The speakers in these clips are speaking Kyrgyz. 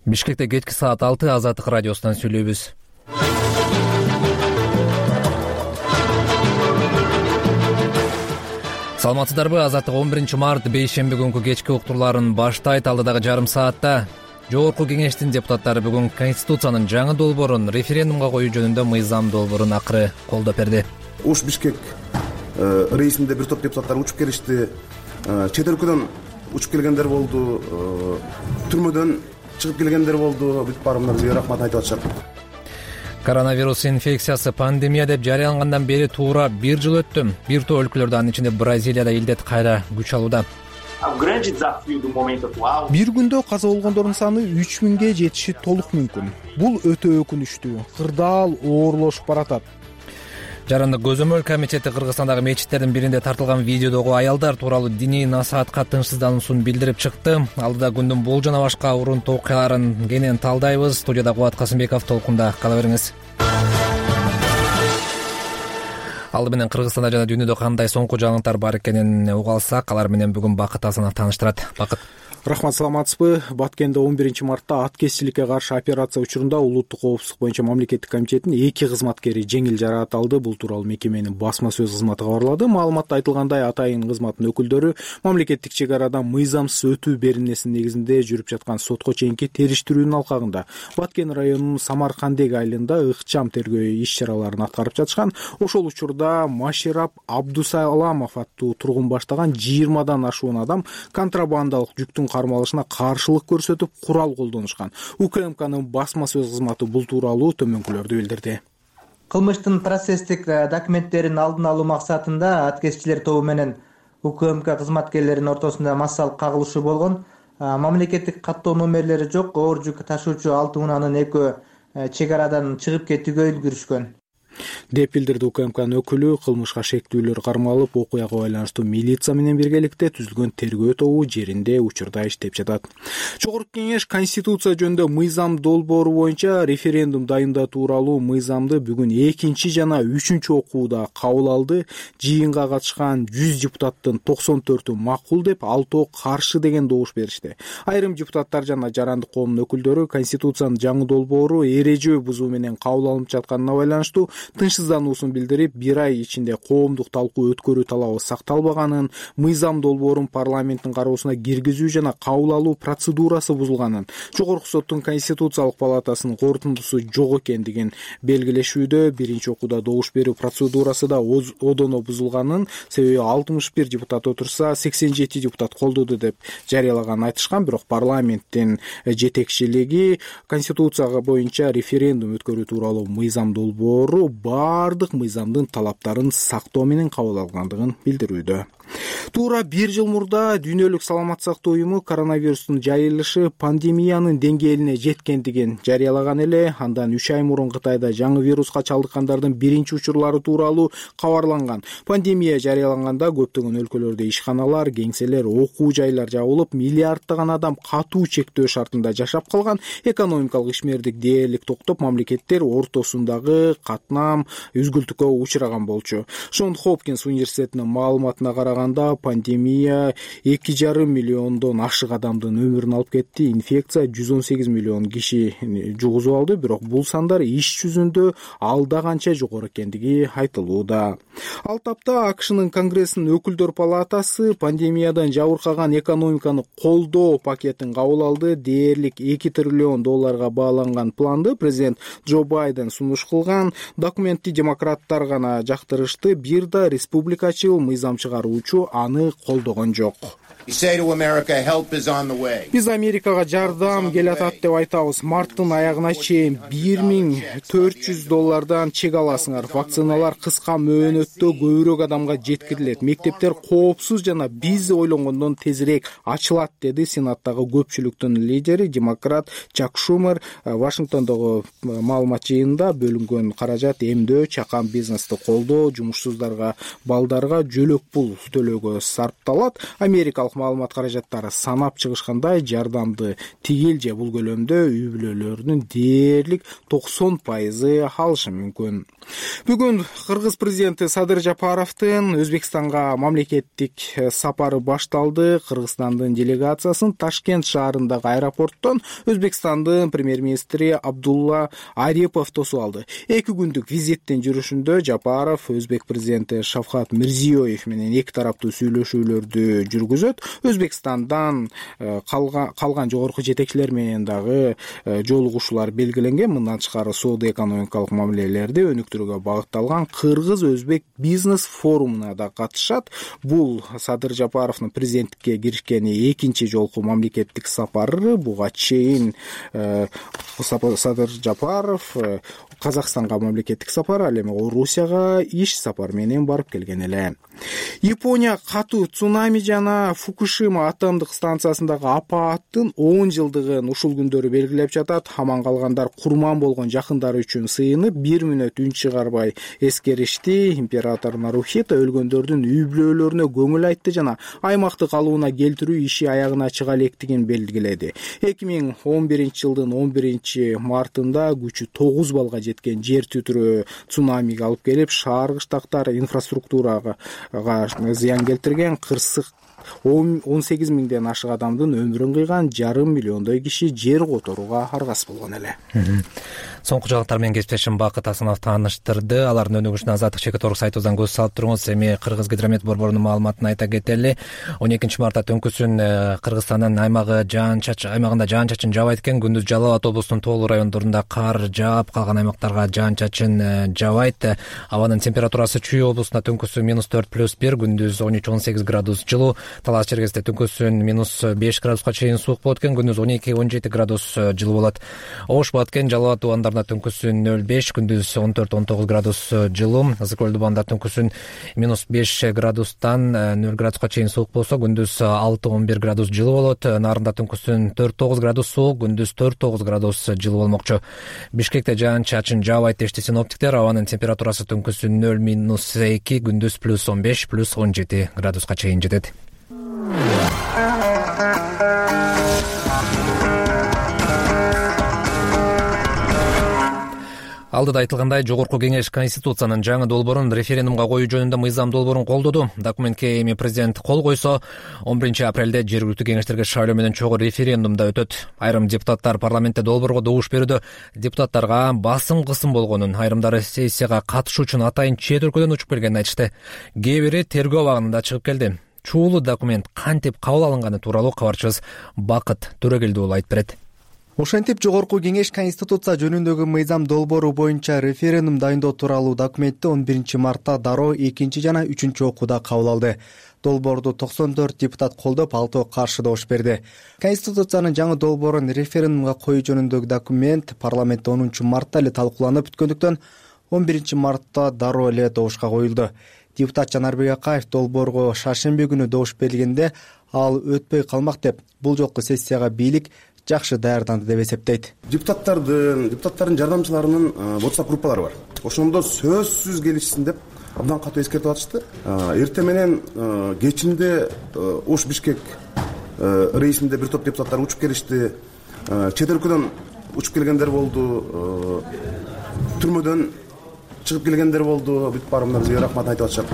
Бишкекте кечки саат 6 Азаттык радиосунан сүйлөйбүз. Саламатсыздарбы? Азаттык 11 март бейшемби күнкү кечки уктурларын баштайт. Алдыдагы жарым саатта Жогорку Кеңештин депутаттары бүгүн Конституциянын жаңы долбоорун референдумга коюу жөнүндө мыйзам долбоорун акыры колдоп берди. Ош Бишкек рейсинде бир топ депутаттар учуп келишти. Чет өлкөдөн учуп келгендер болду, түрмөдөн чыгып келгендер болду. Бүт баарына бизге рахмат айтып атышат. Коронавирус инфекциясы пандемия деп жарыялангандан бери туура 1 жыл өттү. Бир топ өлкөлөрдө, анын ичинде Бразилияда илдет кайра күч алууда. Бир күндө каза болгондордун саны 3000ге жетиши толук мүмкүн. Бул өтө өкүнүчтүү. Кырдаал оорлошуп баратат. Жарандык көзөмөл комитети Кыргызстандагы мечиттердин биринде тартылган видеодогу аялдар тууралуу диний насаатка тынчсыздануусун билдирип чыкты. Алдыда күндүн бул жана башка урунтуу окуяларын кенен талдайбыз. Студияда Кубат Касымбеков, толкунда кала бериңиз. Алды менен Кыргызстанда жана дүйнөдө кандай соңку жаңылыктар бар экенин уга алсак, алар менен бүгүн Бакыт Асанов тааныштырат. Бакыт. Рахмат, саламатсызбы? Баткенде 11 мартта аткезчиликке каршы операция учурунда улуттук коопсуздук боюнча мамлекеттик комитеттин 2 кызматкери жеңил жаракат алды. Бул тууралуу мекеменин басма сөз кызматы кабарлады. Маалыматта айтылгандай, атайын кызматтын өкүлдөрү мамлекеттик чек арадан мыйзамсыз өтүү беренесинин негизинде жүрүп жаткан сотко чейинки териштирүүнүн алкагында Баткен районунун Самаркандек айылында ыкчам тергөө иш-чараларын аткарып жатышкан. Ошол учурда Маширап Абдусаламов аттуу тургун баштаган 20дан ашуун адам контрабандалык жүктүн кармалышына каршылык көрсөтүп курал колдонушкан. УКМКнын басма сөз кызматы бул тууралуу төмөнкүлөрдү билдирди. Кылмыштын процесстик документтерин алдын алуу максатында аткезчилер тобу менен УКМК кызматкерлеринин ортосунда массалык кагылышуу болгон. Мамлекеттик каттоо номерлери жок оор жүк ташуучу 6 унаанын экөө чек арадан чыгып кетүүгө үлгүрүшкөн деп билдирди УКМКнын өкүлү. Кылмышка шектүүлөр кармалып, окуяга байланыштуу милиция менен биргеликте түзүлгөн тергөө тобу жеринде учурда иштеп жатат. Жогорку Кеңеш Конституция жөнүндө мыйзам долбоору боюнча референдум дайындоо тууралуу мыйзамды бүгүн 2 жана 3 окууда кабыл алды. Жыйынга катышкан 100 депутаттын 94-ü макул деп, 6 каршы деген добуш беришти. Айрым депутаттар жана жарандык коомдун өкүлдөрү Конституциянын жаңы долбоору эрежө бузуу менен кабыл алынып жатканына байланыштуу тынчсыздануусун билдирип, 1 ай ичинде коомдук талкуу өткөрүү талабы сакталбаганын, мыйзам долбоорун парламенттин кароосуна киргизүү жана кабыл алуу процедурасы бузулганын, Жогорку соттун Конституциялык палатасынын корутундусу жок экендигин белгилешүүдө. Биринчи окууда добуш берүү процедурасы да одоно бузулганын, себеби 61 депутат отурса 87 депутат колдоду деп жарыялаганын айтышкан. Бирок парламенттин жетекчилиги Конституцияга боюнча референдум өткөрүү тууралуу мыйзам долбоору бардык мыйзамдын талаптарын сактоо менен кабыл алгандыгын билдирүүдө. Туура 1 жыл мурда Дүйнөлүк саламаттык сактоо уюму коронавирустун жайылышы пандемиянын деңгээлине жеткендигин жарыялаган эле. Андан 3 ай мурун Кытайда жаңы вируска чалдыккандардын биринчи учурлары тууралуу кабарланган. Пандемия жарыяланганда көптөгөн өлкөлөрдө ишканалар, кеңселер, окуу жайлар жабылып, миллиарддаган адам катуу чектөө шартында жашап калган. Экономикалык ишмердик дээрлик токтоп, мамлекеттер ортосундагы катнам үзгүлтүккө учураган болчу. Шон Хопкинс университетинин маалыматына караганда, пандемия 2,5 миллиондон ашык адамдын өмүрүн алып кетти. Инфекция 118 миллион киши жугузуп алды, бирок бул сандар иш жүзүндө алда канча жогору экендиги айтылууда. Ал тапта АКШнын Конгрессинин өкүлдөр палатасы пандемиядан жабыркаган экономиканы колдоо пакетин кабыл алды. Дээрлик 2 триллион долларга бааланган планды президент Джо Байден сунуш кылган. Документти демократтар гана жактырышты. Бир да республикачыл мыйзам чыгаруучу аны колдогон жок. Биз Америкага жардам келатат деп айтабыз. Марттын аягына чейин $1400 чек аласыңар. Вакциналар кыска мөөнөттө көбүрөөк адамга жеткирилет. Мектептер коопсуз жана биз ойлонгондон тезирээк ачылат, деди Сенаттагы көпчүлүктүн лидери демократ Чак Шумер. Вашингтондогу маалымат жыйынында бөлүнгөн каражат эмдөө, чакан бизнести колдоо, жумушсуздарга, балдарга жөлөк пул төлөөгө сарпталат. Америкалык экономикалык маалымат каражаттары санап чыгышкандай, жардамды тигил же бул көлөмдө үй бүлөлөрүнүн дээрлик 90% алышы мүмкүн. Бүгүн Кыргыз президенти Садыр Жапаровдун Өзбекстанга мамлекеттик сапары башталды. Кыргызстандын делегациясын Ташкент шаарындагы аэропорттон Өзбекстандын премьер-министри Абдулла Арипов тосуп алды. 2 күндүк визиттин жүрүшүндө Жапаров Өзбек президенти Шавкат Мирзиёев менен эки тараптуу сүйлөшүүлөрдү жүргүзөт. Өзбекстандан калган жогорку жетекчилер менен дагы жолугушуулар белгиленген. Мындан тышкары соода-экономикалык мамилелерди өнүктүрүүгө багытталган Кыргыз-Өзбек бизнес форумуна да катышат. Бул Садыр Жапаровдун президенттикке киришкени экинчи жолку мамлекеттик сапары. Буга чейин Садыр Жапаров Казакстанга мамлекеттик сапар, ал эми Орусияга иш сапар менен барып келген эле. Япония катуу цунами жана Фукушима атомдук станциясындагы апааттын 10 жылдыгын ушул күндөрү белгилеп жатат. Аман калгандар курман болгон жакындары үчүн сыйынып 1 мүнөт үн чыгарбай эскеришти. Император Нарухито өлгөндөрдүн үй бүлөлөрүнө көңүл айтты жана аймакты калыбына келтирүү иши аягына чыга электигин белгиледи. 2011 жылдын 11 мартында күчү 9 балга жеткен жер титирөө цунамиге алып келип, шаар кыштактар инфраструктурага зыян келтирген. Кырсык 18 миңден ашык адамдын өмүрүн кыйган, 5,5 миллиондой киши жер которууга аргасыз болгон эле. Соңку жаңылыктар менен кесиптешим Бакыт Асанов тааныштырды. Алардын өнүгүшүнө Азаттык Чекиторук сайтыбыздан көз салып туруңуз. Эми Кыргыз гидромет борборунун маалыматын айта кетели. 12 мартта түнкүсүн Кыргызстандын аймагында жаан-чачын жаабайт экен. Күндүз Жалал Абад облусунун тоолуу райондорунда кар жаап, калган аймактарга жаан-чачын жаабайт. Абанын температурасы Чүй облусунда түнкүсүн -4+1, күндүз 13-18 градус жылуу. Талас Чергесте түнкүсүн -5 градуска чейин суук болот экен, күндүз 12-17 градус жылуу болот. Ош Баткен, Жалал Абад тубандарында түнкүсүн 0,5, күндүз 14-19 градус жылуу. Ысык көл тубанында түнкүсүн -5 градустан 0 градуска чейин суук болсо, күндүз 6-11 градус жылуу болот. Нарында түнкүсүн 4-9 градус суук, күндүз 4-9 градус жылуу болмокчу. Бишкекте жаан-чачын жаабайт дешти синоптиктер. Абанын температурасы түнкүсүн 0-2, күндүз +15, +17 градуска чейин жетет. Алдыда айтылгандай, Жогорку Кеңеш Конституциянын жаңы долбоорун референдумга коюу жөнүндө мыйзам долбоорун колдоду. Документке эми президент кол койсо, 11 апрелде жергиликтүү кеңештерге шайлоо менен чогуу референдумда өтөт. Айрым депутаттар парламентте долбоорго добуш берүүдө депутаттарга басым-кысым болгонун, айрымдары сессияга катышуу үчүн атайын чет өлкөдөн учуп келгенин айтышты. Кээ бири тергөө абагында чыгып келди. Чуулуу документ кантип кабыл алынганы тууралуу кабарчыбыз Бакыт Төрөгелди уулу айтып берет. Ошентип Жогорку Кеңеш Конституция жөнүндөгү мыйзам долбоору боюнча референдум дайындоо тууралуу документти 11 мартта дароо 2 жана 3 окууда кабыл алды. Долбоорду 94 депутат колдоп, 6 каршы добуш берди. Конституциянын жаңы долбоорун референдумга коюу жөнүндөгү документ парламентте 10 мартта эле талкууланып бүткөндүктөн 11 мартта дароо эле добушка коюлду. Депутат Жанарбек Акаев долбоорго шаршемби күнү добуш берилгенде ал өтпөй калмак деп, бул жолку сессияга бийлик жакшы даярданды деп эсептейт. Депутаттардын жардамчыларынын WhatsApp группалары бар. Ошондо сөзсүз келишсин деп абдан катуу эскертип атышты. Эртең менен кечинде Ош Бишкек рейсинде бир топ депутаттар учуп келишти. Чет өлкөдөн учуп келгендер болду. Түрмөдөн чыгып келгендер болду. Бүт баарына бизге рахмат айтып атышат.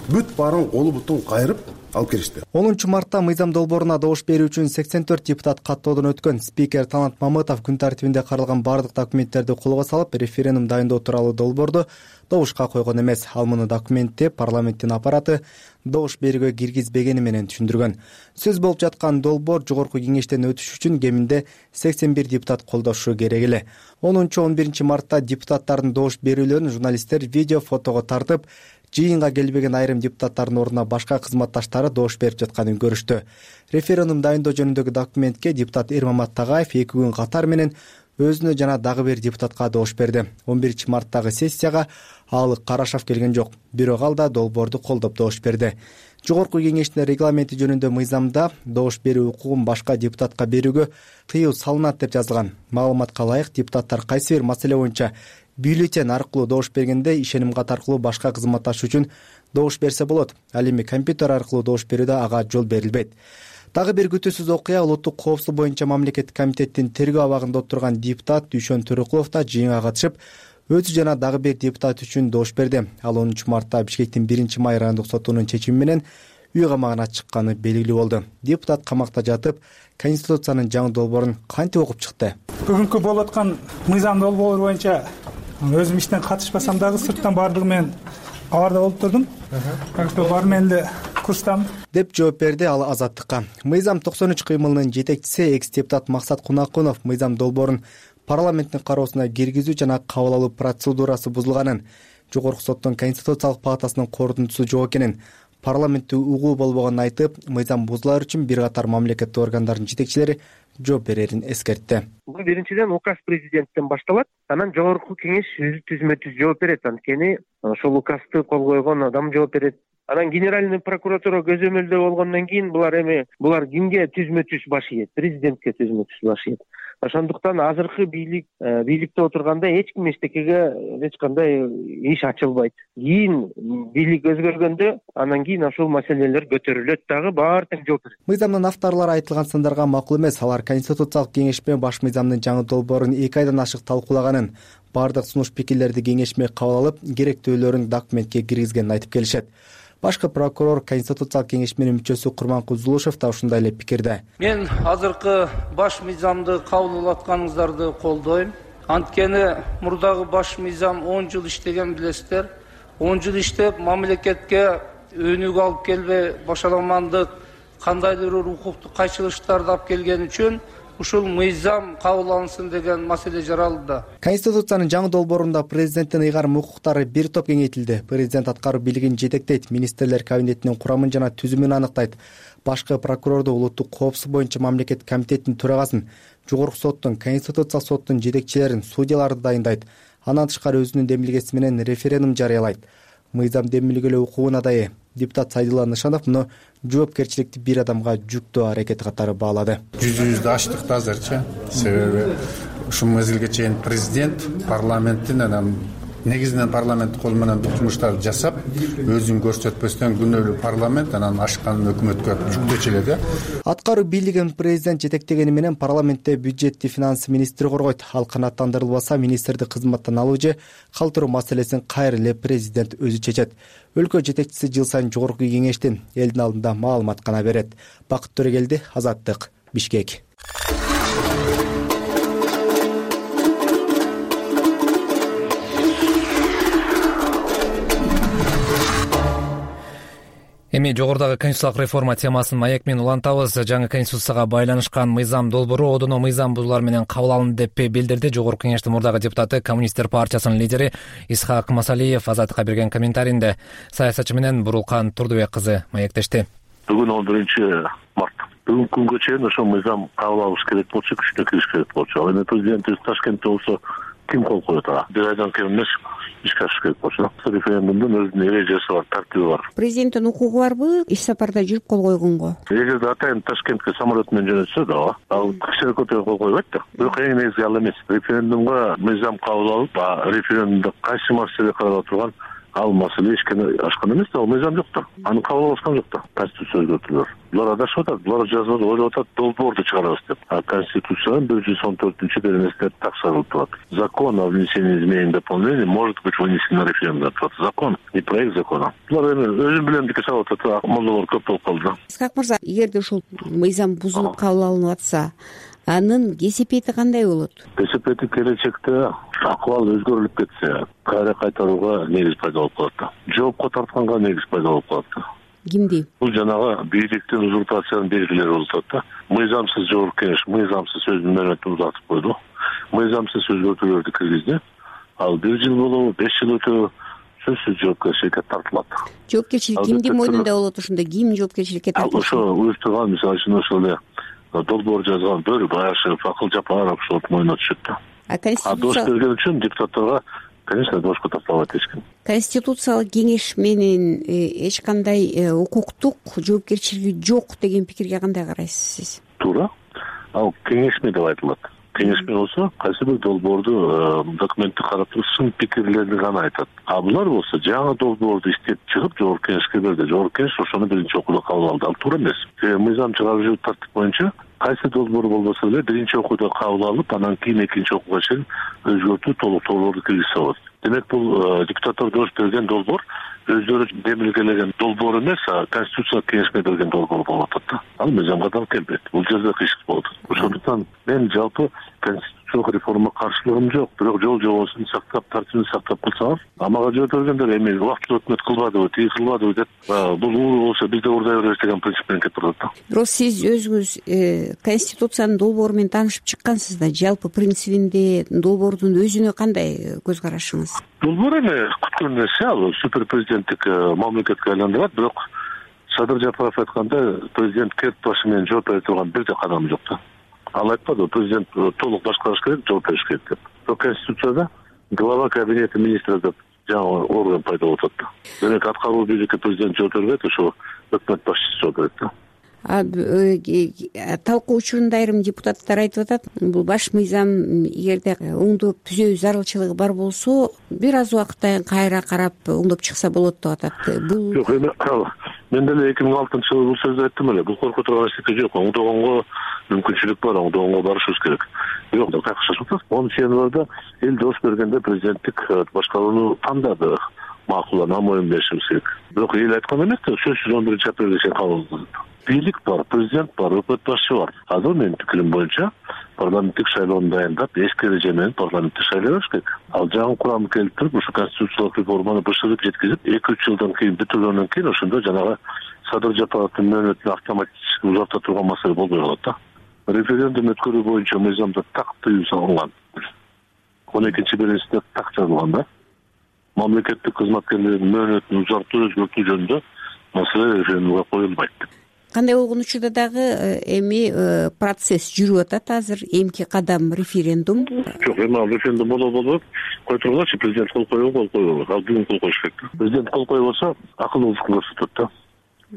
Бүт баарын колу бутун кайрып алып келишти. 10 мартта мыйзам долбооруна добуш берүү үчүн 84 депутат каттоодон өткөн. Спикер Талант Мамытов күн тартибинде каралган бардык документтерди колго салып, референдум дайындоо тууралуу долбоорду добушка койгон эмес. Ал муну документти парламенттин аппараты добуш берүүгө киргизбегени менен түшүндүргөн. Сөз болуп жаткан долбоор Жогорку Кеңештен өтүш үчүн кеминде 81 депутат колдошу керек эле. 10-11 мартта депутаттардын добуш берүүлөрүн журналисттер видео, фотого тартып, жыйынга келбеген айрым депутаттардын ордуна башка кызматташтары добуш берип жатканын көрүштү. Референдум дайындоо жөнүндөгү документке депутат Эрмамат Тагаев 2 күн катар менен өзүнө жана дагы бир депутатка добуш берди. 11 марттагы сессияга ал карашап келген жок, бирок ал да долбоорду колдоп добуш берди. Жогорку Кеңештин регламенти жөнүндө мыйзамда добуш берүү укугун башка депутатка берүүгө тыюу салынат деп жазылган. Маалыматка ылайык, депутаттар кайсы бир маселе боюнча бюллетень аркылуу добуш бергенде ишеним кат аркылуу башка кызматташ үчүн добуш берсе болот. Ал эми компьютер аркылуу добуш берүүдө ага жол берилбейт. Дагы бир күтүүсүз окуя улуттук коопсуздук боюнча мамлекеттик комитеттин тергөө абагында отурган депутат Дүйшөн Төрөкулов да жыйынга катышып, өзү жана дагы бир депутат үчүн добуш берди. Ал 10-мартта Бишкектин 1-май райондук сотунун чечими менен үй камагына чыкканы белгилүү болду. Депутат камакта жатып, Конституциянын жаңы долбоорун кантип окуп чыкты? Бүгүнкү болуп аткан мыйзам долбоор боюнча өзүм иштен катышпасам дагы сырттан баардыгы менен аларда болуп турдум. Так что баары менен эле курстам деп жооп берди ал Азаттыкка. Мыйзам 93 кыймылынын жетекчиси экс-депутат Максат Кунакунов мыйзам долбоорун парламенттин кароосуна киргизүү жана кабыл алуу процедурасы бузулганын, жогорку соттун Конституциялык палатасынын корутундусу жок экенин, парламентте угуу болбогонун айтып, мыйзам бузулар үчүн бир катар мамлекеттик органдардын жетекчилери жооп берерин эскертти. Бул биринчиден указ президенттен башталат, анан жогорку кеңеш өзү түзмө-түз жооп берет. Анткени ошол указды кол койгон адам жооп берет. Анан генеральный прокуратура көзөмөлдө болгондон кийин булар кимге түзмө-түз баш ийет? Президентке түзмө-түз баш ийет. Ошондуктан азыркы бийликте отурганда эч ким эчтекеге эч кандай иш ачылбайт. Кийин бийлик өзгөргөндө анан кийин ошол маселелер көтөрүлөт, дагы баары тең жооп берет. Мыйзамдын авторлору айтылган сындарга макул эмес. Алар Конституциялык кеңешме баш мыйзамдын жаңы долбоорун 2 айдан ашык талкуулаганын, баардык сунуш пикирлерди кеңешме кабыл алып, керектүүлөрүн документке киргизгенин айтып келишет. Башкы прокурор Конституциялык кеңешменин мүчөсү Курманкул Зулушев да ушундай эле пикирде. Мен азыркы баш мыйзамды кабыл атканыңыздарды колдойм. Анткени мурдагы баш мыйзам 10 жыл иштеген билесиздер. 10 жыл иштеп мамлекетке өнүгүү алып келбей, башаламандык, кандайдыр бир укуктук кайчылыштарды алып келген үчүн ушул мыйзам кабыл алынсын деген маселе жаралды. Конституциянын жаңы долбоорунда президенттин ыйгарым укуктары бир топ кеңейтилди. Президент аткаруу бийлигин жетектейт, министрлер кабинетинин курамын жана түзүмүн аныктайт. Башкы прокурорду улуттук коопсуздук боюнча мамлекеттик комитеттин төрагасын, жогорку соттун, Конституциялык соттун жетекчилерин, судьяларды дайындайт. Андан тышкары өзүнүн демилгеси менен референдум жарыялайт. Мыйзам демилгелөө укугуна дайы. Депутат Сайдулла Нышанов муну жоопкерчиликти бир адамга жүктөө аракети катары баалады. Жүзүбүздү ачтык азырчы. Себеби ушул мезгилге чейин президент парламенттин анан негизинен парламент кол менен жумуштарды жасап, өзүн көрсөтпөстөн күнөөлүү парламент анан ашканын өкмөткө жүктөчү эле да. Аткаруу бийлигин президент жетектегени менен парламентте бюджетти финансы министри коргойт. Ал канааттандырылбаса, министрди кызматтан алуу же калтыруу маселесин кайра эле президент өзү чечет. Өлкө жетекчиси жыл сайын жогорку кеңештин элдин алдында маалымат гана берет. Бакыт Төрөгелди, Азаттык, Бишкек. Эми жогорудагы конституциялык реформа темасын маек менен улантабыз. Жаңы конституцияга байланышкан мыйзам долбоору одуно мыйзам бузуулар менен кабыл алынды деп билдирди жогорку кеңештин мурдагы депутаты, Коммунисттер партиясынын лидери Исхак Масалиев Азаттыкка берген комментарийинде. Саясатчы менен Бурулкан Турдубек кызы маектешти. Бүгүн 11-март. Бүгүнкү күнгө чейин ошол мыйзам кабыл алыш керек болчу, күчүнө кириш керек болчу. Ал эми президентибиз Ташкентте болсо ким кол коет ага? Бир айдан кийин эмес ишке ашыш керек болчу. Референдумдун өзүнүн эрежеси бар, тартиби бар. Президенттин укугу барбы иш сапарда жүрүп кол койгонго? Эгерде атайын Ташкентке самолет менен жөнөтсө да, ал кичине көтөрүп кол койбойт да. Бирок эң негизи ал эмес. Референдумга мыйзам кабыл алып, референдумда кайсы маселе каралып турган ал маселе ишке ашкан эмес да, ал мыйзам жок да. Аны кабыл алышкан жок да. Конституция өзгөртүлөр. Булар адашып атат, булар жазбада ойлоп атат, долбоорду чыгарабыз деп. Конституциянын 114-беренесинде так жазылып турат. Закон о внесении изменений и дополнений может быть вынесен на референдум. Закон и проект закона. Булар эми өзүм билемдикке салып атат, молдолор көп болуп калды. Исхак мырза, эгерде ушул мыйзам бузулуп кабыл алынып атса, анын кесепети кандай болот? Кесепети келечекте акыбал өзгөрүлүп кетсе, кайра кайтарууга негиз пайда болуп калат. Жоопко тартканга негиз пайда болуп калат. Кимди? Бул жанагы бийликтин узурпациянын белгилери болуп атат да. Мыйзамсыз жогорку кеңеш, мыйзамсыз сөздүн мөөнөтүн узатып койду. Мыйзамсыз өзгөртүүлөрдү киргизди. Ал 1 жыл болобу, 5 жыл өтөбү сөзсүз жоопкерчиликке тартылат. Жоопкерчилик кимдин мойнунда болот ошондо? Ким жоопкерчиликке тартылат? Ошо уюштурган, мисалы үчүн ошол эле долбоор жазган Бөрүбаев, Акыл Жапаров ошол мойнуна түшөт да. Добуш берген үчүн депутаттарга, конечно, добушка тартылбайт эч ким. Конституциялык кеңеш менен эч кандай укуктук жоопкерчилиги жок деген пикирге кандай карайсыз сиз? Туура. Ал кеңешме деп айтылат. кеңешме болсо кайсы бир долбоорду документти карап туруп сын пикирлерди гана айтат. А булар болсо жаңы долбоорду иштеп чыгып жогорку кеңешке берди. Жогорку кеңеш ошону биринчи окууда кабыл алды. Ал туура эмес. Мыйзам чыгаруу тартип боюнча кайсы долбоор болбосо деле биринчи окууда кабыл алып, анан кийин экинчи окууга чейин өзгөртүү, толуктоолорду киргизсе болот. Демек бул депутаттар добуш берген долбоор өздөрү демилгелеген долбоор эмес, конституциялык кеңешме берген долбоор болуп атат да. Ал мыйзамга да келбейт. Бул жерде кыйшык болот. Ошондуктан мен жалпы конституциялык реформага каршылыгым жок, бирок жол жобосун сактап, тартибин сактап кылсаңыз, мага жибергендер эми убактылуу өкмөт кылбадыбы, тиги кылбадыбы деп, бул ууру болсо биз да уурдай беребиз деген принцип менен кетип атат да. Бирок сиз өзүңүз конституциянын долбоору менен таанышып чыккансыз да. Жалпы принцибинде долбоордун өзүнө кандай көз карашыңыз? Долбоор эми күткөн нерсе, ал супер президенттик мамлекетке айландырат, бирок Садыр Жапаров айткандай, президент керт башы менен жооп бере турган бир да кадам жок да. Ал айтпады, президент толук башкарыш керек, жооп бериш керек деп. Бирок конституцияда глава кабинети министров деп жаңы орган пайда болуп атат да. Демек аткаруу бийликке президент жооп бербейт, ошо өкмөт башчысы жооп берет да. Талкуу учурунда айрым депутаттар айтып атат, бул баш мыйзам эгерде оңдоп түзөө зарылчылыгы бар болсо, бир аз убакыттан кайра карап оңдоп чыкса болот деп атат. Бул жок, эми мен деле 2006-жылы бул сөздү айттым эле. Бул коркуп турган эчтеке жок. Оңдогонго мүмкүнчүлүк бар, оңдогонго барышыбыз керек. Бирок кайкышып атат. 10 январда эл добуш бергенде президенттик башкарууну тандады. Макул, ана моюн беришибиз керек. Бирок эл айткан эмес да, сөзсүз 11-апрелге чейин кабыл алынды. Бийлик бар, президент бар, өкмөт башчы бар. Азыр менин пикирим боюнча парламенттик шайлоону дайындап, эски эреже менен парламентти шайлай бериш керек. Ал жаңы курамды келтирип, ушу конституциялык реформаны бышырып жеткизип, 2-3 жылдан кийин бүтүргөндөн кийин ошондо жанагы Садыр Жапаровдун мөөнөтүн автоматически узарта турган маселе болбой калат да. Референдум өткөрүү боюнча мыйзамда так тыюу салынган. 12-беренесинде так жазылган да. Мамлекеттик кызматкерлердин мөөнөтүн узартуу, өзгөртүү жөнүндө маселе референдумга коюлбайт деп. Кандай болгон учурда дагы эми процесс жүрүп атат азыр. Эмки кадам референдум. Жок, эми ал референдум болобу, кой тургулачы, президент кол койбойбу, кол койбойбу. Ал бүгүн кол коюш керек. Президент кол койбой болсо, акылдуулуктун көрсөтөт да.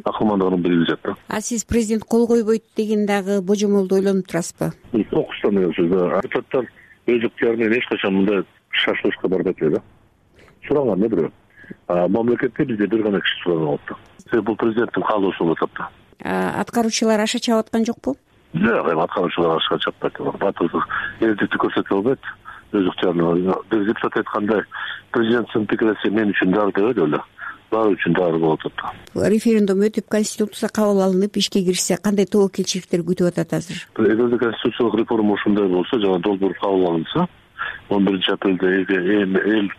Акылмандыгын билгизет да. А сиз президент кол койбойт деген дагы божомолду ойлонуп турасызбы? Окуштан деген сөз да. Депутаттар өз ыктыяры менен эч качан мындай шашылышка барбайт эле да. Суранган да бирөө. Мамлекетте бизде бир гана киши сураган болот да. Себеби бул президенттин каалоосу болуп атат да. Аткаруучулар аша чабып аткан жокпу? Жок, эми аткаруучулар аша чаппайт. Батылдык, эрдикти көрсөтө албайт. Өз ыктыярын. Бир депутат айткандай, президенттин пикири мен үчүн дары дебейт эле. Баары үчүн дары болуп атат. Референдум өтүп, конституция кабыл алынып, ишке кирсе, кандай тобокелчиликтер күтүп атат азыр? Эгерде конституциялык реформа ушундай болсо, жана долбоор кабыл алынса, 11-апрелде эл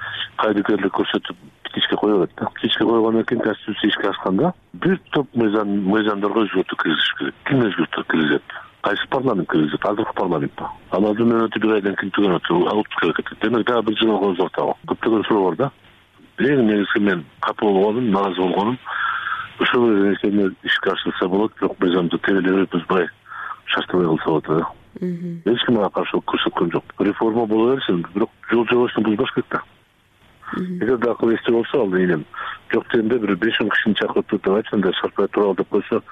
кайдыгерлик көрсөтүп ишке кое берет да. Ишке койгондон кийин конституция ишке ашканда бир топ мыйзамдарга өзгөртүү киргизиш керек. Ким өзгөртүү киргизет? Кайсы парламент киргизет? Азыркы парламент ба? Алардын мөөнөтү бир айдан кийин түгөнөт, алып керек. Демек дагы бир жылга узартабы. Көптөгөн суроо бар да. Эң негизги мен капа болгонум, нааразы болгонум, ошол нерсени ишке ашырса болот, бирок мыйзамды терелеп бузбай, шаштабай кылса болот да. Эч ким ага каршылык көрсөткөн жок. Реформа боло берсин, бирок жол жобосун бузбаш керек да. Эгерде акыл эсте болсо, ал энем жок дегенде бир 5 кишини чакырып туруп деп айтсаңда, шартпай туралы деп койсо,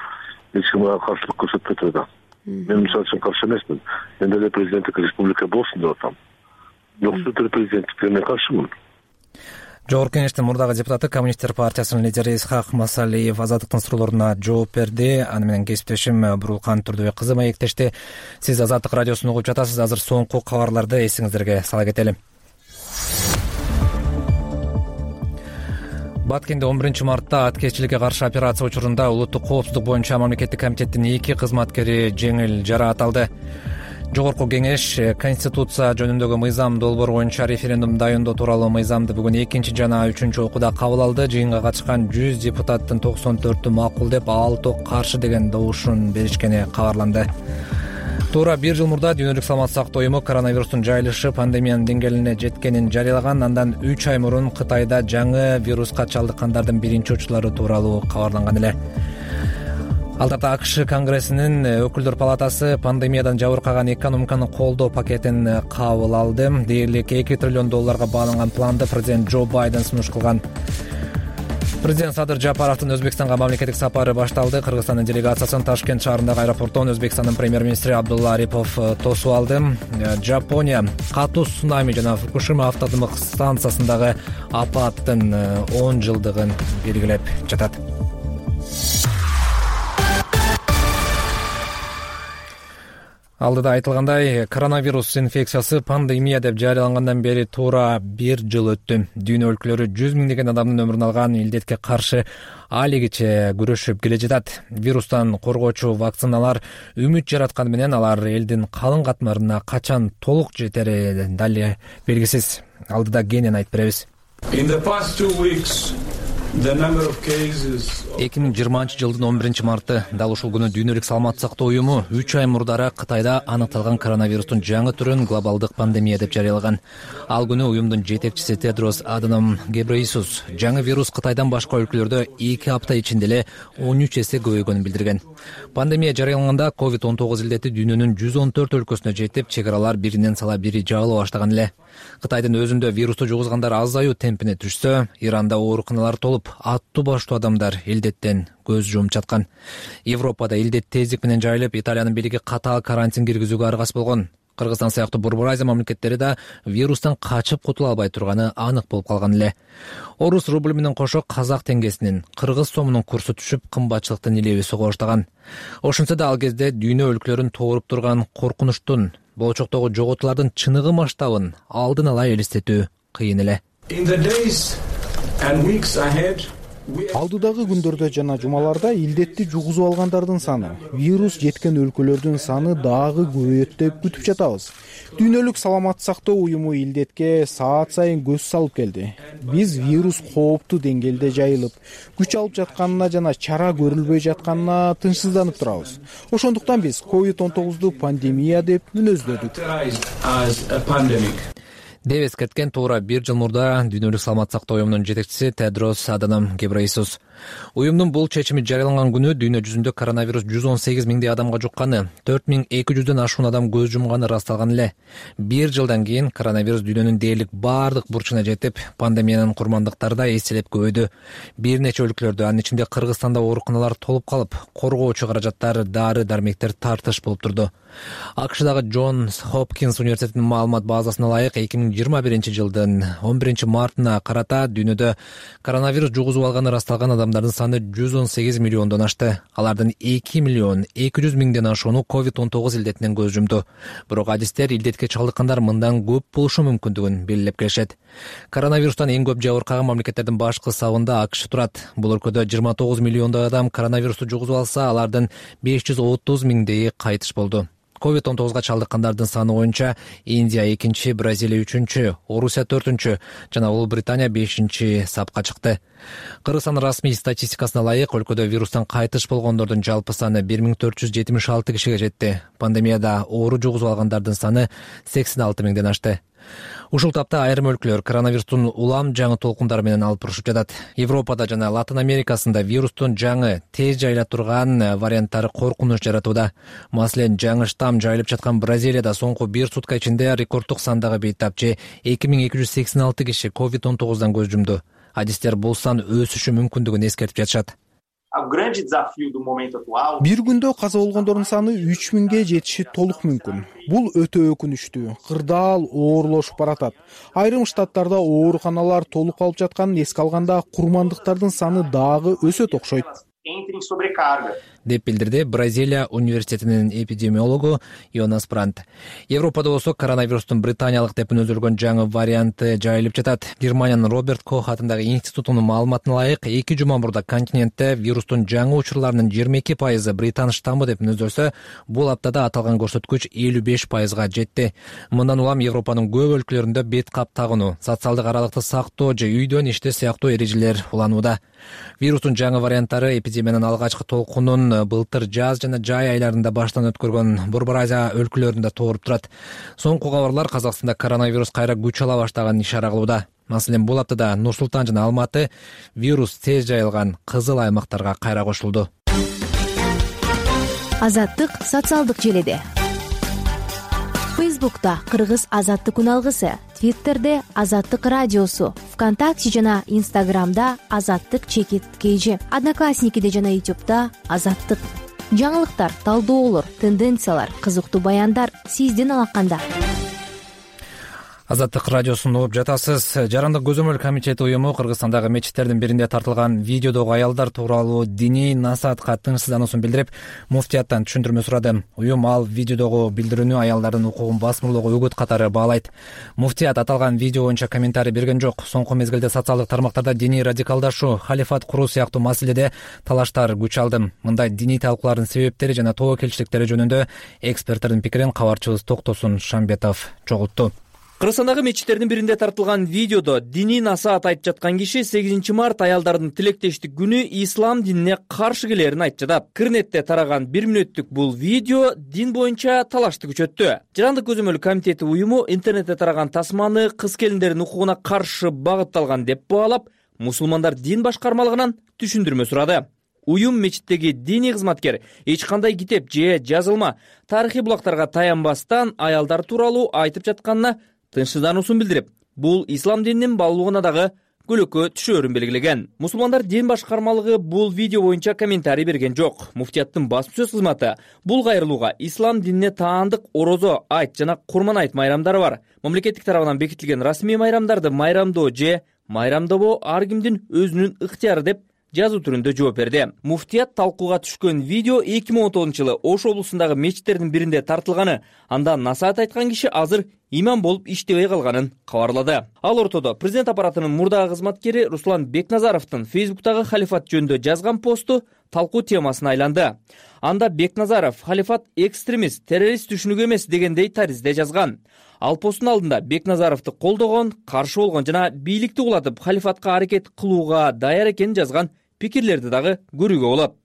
эч ким ага каршылык көрсөтпөйт да. Мен мисалы үчүн каршы эмесмин. Мен деле президенттик республика болсун деп атам. Жок, супер президенттикке мен каршымын. Жогорку кеңештин мурдагы депутаты, Коммунисттер партиясынын лидери Исхак Масалиев Азаттыктын суроолоруна жооп берди. Аны менен кесиптешим Бурулкан Турдубек кызы маектешти. Сиз Азаттык радиосун угуп жатасыз. Азыр соңку кабарларды эсиңиздерге сала кетели. Баткенде 11-мартта аткезчиликке каршы операция учурунда улуттук коопсуздук боюнча мамлекеттик комитеттин 2 кызматкери жеңил жараат алды. Жогорку кеңеш конституция жөнүндөгү мыйзам долбоору боюнча референдум дайындоо тууралуу мыйзамды бүгүн 2 жана 3 окууда кабыл алды. Жыйынга катышкан 100 депутаттын 94-ü макул деп, 6 каршы деген добушун беришкени кабарланды. Туура 1 жыл мурда Дүйнөлүк саламаттык сактоо уюму коронавирустун жайылышы пандемиянын деңгээлине жеткенин жарыялаган. Андан 3 ай мурун Кытайда жаңы вируска чалдыккандардын биринчи учурлары тууралуу кабарланган эле. Ал тарапта АКШ Конгрессинин өкүлдөр палатасы пандемиядан жабыркаган экономиканы колдоо пакетин кабыл алды. Дээрлик $2 триллион бааланган планды президент Джо Байден сунуш кылган. Президент Садыр Жапаровдун Өзбекстанга мамлекеттик сапары башталды. Кыргызстандын делегациясын Ташкент шаарындагы аэропорттон Өзбекстандын премьер-министри Абдулла Арипов тосуп алды. Жапония катуу цунами жана Фукушима автодымык станциясындагы апаттын 10 жылдыгын белгилеп жатат. Алдыда айтылгандай, коронавирус инфекциясы пандемия деп жарыялангандан бери туура 1 жыл өттү. Дүйнө өлкөлөрү 100 миңдеген адамдын өмүрүн алган илдетке каршы алигиче күрөшүп келе жатат. Вирустан коргоочу вакциналар үмүт жаратканы менен алар элдин калың катмарына качан толук жетери дали белгисиз. Алдыда кенен айтып беребиз. 2020 жылдын 11 марты дал ушул күнү Дүйнөлүк саламаттык сактоо уюму 3 ай мурдара Кытайда аныкталган коронавирустун жаңы түрүн глобалдык пандемия деп жарыялаган. Ал күнү уюмдун жетекчиси Тедрос Аданом Гебрейесус жаңы вирус Кытайдан башка өлкөлөрдө 2 апта ичинде эле 13 эсе көбөйгөнүн билдирген. Пандемия жарыяланганда COVID-19 илдети дүйнөнүн 114 өлкөсүнө жетип, чек аралар биринен сала бири жабыла баштаган эле. Кытайдын өзүндө вирусту жугузгандар азаюу темпине түшсө, Иранда ооруканалар толуп, аттуу баштуу адамдар илдеттен көз жумуп жаткан. Европада илдет тездик менен жайылып, Италиянын бийлиги катаал карантин киргизүүгө аргасыз болгон. Кыргызстан сыяктуу Борбор Азия мамлекеттери да вирустан качып кутула албай турганы анык болуп калган эле. Орус рубль менен кошо казак теңгесинин, кыргыз сомунун курсу түшүп, кымбатчылыктын илеби сого баштаган. Ошентсе да ал кезде дүйнө өлкөлөрүн тооруп турган коркунучтун, болочоктогу жоготуулардын чыныгы масштабын алдын ала элестетүү кыйын эле. Алдыдагы күндөрдө жана жумаларда илдетти жугузуп алгандардын саны, вирус жеткен өлкөлөрдүн саны дагы көбөйөт деп күтүп жатабыз. Дүйнөлүк саламаттык сактоо уюму илдетке саат сайын көз салып келди. Биз вирус кооптуу деңгээлде жайылып, күч алып жатканына жана чара көрүлбөй жатканына тынчсызданып турабыз. Ошондуктан биз COVID-19ду пандемия деп мүнөздөдүк. Деп эскерткен туура 1 жыл мурда Дүйнөлүк саламаттык сактоо уюмунун жетекчиси Тедрос Аданом Гебрейесус. Уюмдун бул чечими жарыяланган күнү дүйнө жүзүндө коронавирус 118 миңдей адамга жукканы, 4200дөн ашуун адам көз жумганы ырасталган эле. 1 жылдан кийин коронавирус дүйнөнүн дээрлик бардык бурчуна жетип, пандемиянын курмандыктары да эселеп көбөйдү. Бир нече өлкөлөрдө, анын ичинде Кыргызстанда ооруканалар толуп калып, коргоочу каражаттар, дары-дармектер тартыш болуп турду. АКШдагы Джонс Хопкинс университетинин маалымат базасына ылайык 2021 жылдын 11 мартына карата дүйнөдө коронавирус жугузуп алганы ырасталган адамдардын саны 118 миллиондон ашты. Алардын 2 миллион 200 миңден ашууну COVID-19 илдетинен көз жумду. Бирок адистер илдетке чалдыккандар мындан көп болушу мүмкүндүгүн белгилеп келишет. Коронавирустан эң көп жабыркаган мамлекеттердин башкы сабында АКШ турат. Бул өлкөдө 29 миллиондой адам коронавирусту жугузуп алса, алардын 530 миңдейи кайтыш болду. COVID-19га чалдыккандардын саны боюнча Индия 2-чи, Бразилия 3-чү, Орусия 4-чү жана Улуу Британия 5-чи сапка чыкты. Кыргызстан расмий статистикасына ылайык, өлкөдө вирустан кайтыш болгондордун жалпы саны 1476 кишиге жетти. Пандемияда оору жугузуп алгандардын саны 86 миңден ашты. Ушул тапта айрым өлкөлөр коронавирустун улам жаңы толкундары менен алып турушуп жатат. Европада жана Латын Америкасында вирустун жаңы, тез жайыла турган варианттары коркунуч жаратууда. Маселен, жаңы штамм жайылып жаткан Бразилияда соңку 1 сутка ичинде рекорддук сандагы бейтапчы 2286 киши COVID-19дан көз жумду. Адистер бул сан өсүшү мүмкүндүгүн эскертип жатышат. Бир күндө каза болгондордун саны 3000ге жетиши толук мүмкүн. Бул өтө өкүнүчтүү, кырдаал оорлошуп баратат. Айрым штаттарда ооруканалар толуп калып жатканын эске алганда курмандыктардын саны дагы өсөт окшойт. Деп билдирди Бразилия университетинин эпидемиологу Йонас Брант. Европада болсо коронавирустун британиялык деп мүнөздөлгөн жаңы варианты жайылып жатат. Германиянын Роберт Кох атындагы институтунун маалыматына ылайык, 2 жума мурда континентте вирустун жаңы учурларынын 22% британ штаммы деп мүнөздөлсө, бул аптада аталган көрсөткүч 55%га жетти. Мындан улам Европанын көп өлкөлөрүндө бет кап тагынуу, социалдык аралыкты сактоо же үйдөн иштеш сыяктуу эрежелер уланууда. Вирустун жаңы варианттары эпидемиянын алгачкы толкунун былтыр жаз жана жай айларында баштан өткөргөн Борбор Азия өлкөлөрүндө тооруп турат. Соңку кабарлар Казакстанда коронавирус кайра күч ала баштаганын ишара кылууда. Маселен, бул аптада Нур Султан жана Алматы вирус тез жайылган кызыл аймактарга кайра кошулду. Азаттык социалдык желиде. Фейсбукта Кыргыз азаттык үналгысы, Твиттерде Азаттык радиосу, ВКонтакте жана Инстаграмда Азаттык_KG, Одноклассникиде жана Ютубта Азаттык. Жаңылыктар, талдоолор, тенденциялар, кызыктуу баяндар сиздин алаканда. Азаттык радиосун угуп жатасыз. Жарандык көзөмөл комитети уюму Кыргызстандагы мечиттердин биринде тартылган видеодогу аялдар тууралуу диний насаатка тынчсыздануусун билдирип, муфтияттан түшүндүрмө сурады. Уюм ал видеодогу билдирүүнү аялдардын укугун басмырлоого үгүт катары баалайт. Муфтият аталган видео боюнча комментарий берген жок. Соңку мезгилде социалдык тармактарда диний радикалдашуу, халифат куруу сыяктуу маселеде талаштар күч алды. Мындай диний талкуулардын себептери жана тобокелчиликтери жөнүндө эксперттердин пикирин кабарчыбыз Токтосун Шамбетов чогултту. Кыргызстандагы мечиттердин биринде тартылган видеодо диний насаат айтып жаткан киши 8 март аялдардын тилектештик күнү ислам динине каршы келерин айтып жатат. Кырнетте тараган 1 мүнөттүк бул видео дин боюнча талашты күчөттү. Жарандык көзөмөл комитети уюму интернетте тараган тасманы кыз келиндердин укугуна каршы багытталган деп баалап, мусулмандар дин башкармалыгынан түшүндүрмө сурады. Уюм мечиттеги диний кызматкер эч кандай китеп же жазылма, тарыхый булактарга таянбастан аялдар тууралуу айтып жатканына тынчсыздануусун билдирип, бул ислам дининин баалуулугуна дагы көлөкө түшөөрүн белгилеген. Мусулмандар дин башкармалыгы бул видео боюнча комментарий берген жок. Муфтияттын басма-сөз кызматы бул кайрылууга ислам динине таандык орозо, айт жана курман айт майрамдары бар. Мамлекеттик тарабынан бекитилген расмий майрамдарды майрамдоо же майрамдабоо ар кимдин өзүнүн ыктыяры деп жазуу түрүндө жооп берди. Муфтият талкууга түшкөн видео 2019-жылы Ош облусундагы мечиттердин биринде тартылганы, анда насаат айткан киши азыр имам болуп иштебей калганын кабарлады. Ал ортодо президент аппаратынын мурдагы кызматкери Руслан Бекназаровдун Фейсбуктагы халифат жөнүндө жазган посту талкуу темасына айланды. Анда Бекназаров халифат экстремист, террорист түшүнүгү эмес дегендей таризде жазган. Ал посттун алдында Бекназаровду колдогон, каршы болгон жана бийликти кулатып халифатка аракет кылууга даяр экенин жазган пикирлерди дагы көрүүгө болот.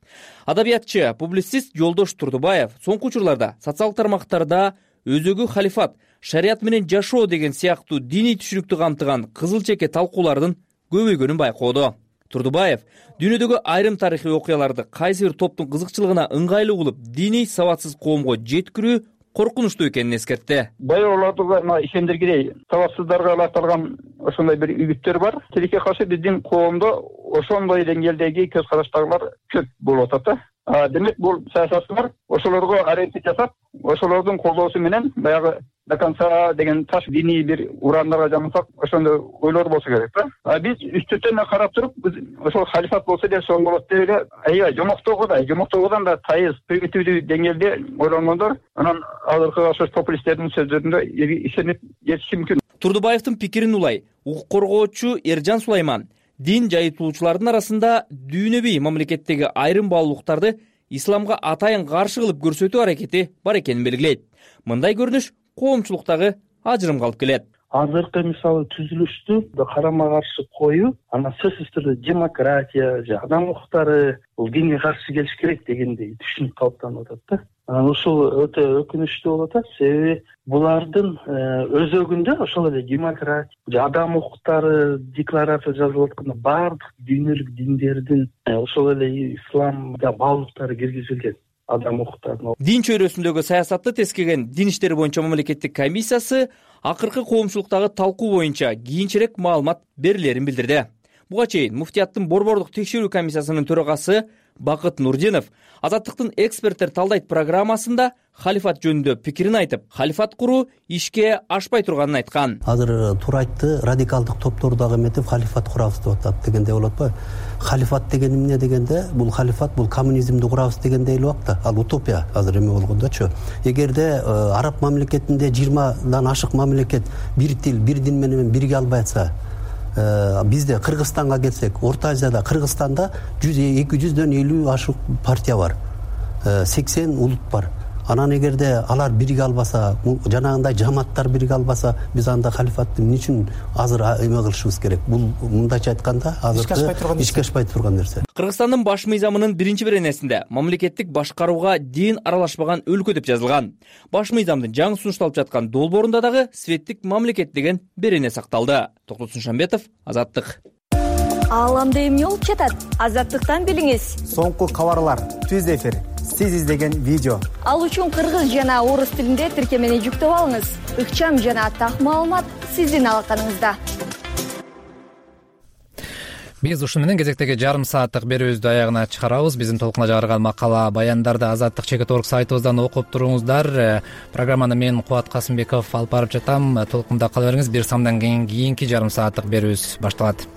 Адабиятчы, публицист Жолдош Турдубаев соңку учурларда социалдык тармактарда өзөгү халифат, шарият менен жашоо деген сыяктуу диний түшүнүктү камтыган кызыл чеке талкуулардын көбөйгөнүн байкоодо. Турдубаев дүйнөдөгү айрым тарыхый окуяларды кайсы бир топтун кызыкчылыгына ыңгайлуу кылып, диний сабатсыз коомго жеткирүү коркунучтуу экенин эскертти. Баягыларга ишендиргидей сабатсыздарга алакталган ошондой бир үгүттөр бар. Тилекке каршы биздин коомдо ошондой деңгээлдеги көз караштагылар көп болуп атат. Демек бул саясатчылар ошолорго аракет жасап, ошолордун колдоосу менен баягы до конца деген таш диний бир урандарга жамасак, ошондой ойлор болсо керек да. Биз үстүртөн карап туруп, ошол халифат болсо деп соң болот деп эле, аябай жомоктогудан да тайыз, примитивдүү деңгээлде ойлонгондор, анан азыркы ошо популисттердин сөздөрүндө ишенип жетиши мүмкүн. Турдубаевдин пикирин улай укук коргоочу Эржан Сулайман дин жайытуучулардын арасында дүйнөбүй мамлекеттеги айрым баалуулуктарды исламга атайын каршы кылып көрсөтүү аракети бар экенин белгилейт. Мындай көрүнүш коомчулуктагы ажырымга алып келет. Азыркы мисалы түзүлүштү карама каршы коюу, анан сөзсүз түрдө демократия же адам укуктары бул динге каршы келиш керек дегендей түшүнүк калыптанып атат да. Анан ушул өтө өкүнүчтүү болуп атат. Себеби булардын өзөгүндө ошол эле демократия же адам укуктары декларация жазылып атканда баардык дүйнөлүк диндердин ошол эле исламга баалуулуктары киргизилген. Адам укуктарын. Дин чөйрөсүндөгү саясатты тескеген Дин иштери боюнча мамлекеттик комиссиясы акыркы коомчулуктагы талкуу боюнча кийинчерээк маалымат берилерин билдирди. Буга чейин муфтияттын борбордук текшерүү комиссиясынын төрагасы Бакыт Нурдинов Азаттыктын эксперттер талдайт программасында халифат жөнүндө пикирин айтып, халифат куруу ишке ашпай турганын айткан. Азыр туура айтты, радикалдык топтор дагы эметип халифат курабыз деп атат дегенде болот го. Халифат деген эмне дегенде, бул халифат бул коммунизмди курабыз дегендей эле убакта. Ал утопия азыр эме болгондочу. Эгерде араб мамлекетинде 20дан ашык мамлекет бир тил, бир дин менен бирге албай атса, бизде Кыргызстанга келсек, Орто Азияда, Кыргызстанда 200дөн 50 ашык партия бар. 80 улут бар. Анан эгерде алар бирге албаса, жанагындай жамааттар бирге албаса, биз анда халифатты эмне үчүн азыр эме кылышыбыз керек? Бул мындайча айтканда, азыр ишке ашпай турган нерсе. Кыргызстандын баш мыйзамынын 1-беренесинде мамлекеттик башкарууга дин аралашпаган өлкө деп жазылган. Баш мыйзамдын жаңы сунушталып жаткан долбоорунда дагы светтик мамлекет деген берене сакталды. Токтосун Шамбетов, Азаттык. Ааламда эмне болуп жатат? Азаттыктан билиңиз. Соңку кабарлар, түз эфир сиз издеген видео. Ал үчүн кыргыз жана орус тилинде тиркемени жүктөп алыңыз. Ыкчам жана так маалымат сиздин алаканыңызда. Биз ушуну менен кезектеги жарым сааттык берүүбүздү аягына чыгарабыз. Биздин толкунга жарган макала баяндарды Азаттык Чекит орг сайтыбыздан окуп туруңуздар. Программаны мен Кубат Касымбеков алып барып жатам. Толкунда кала бериңиз. Бир самдан кийинки жарым сааттык берүүбүз башталат.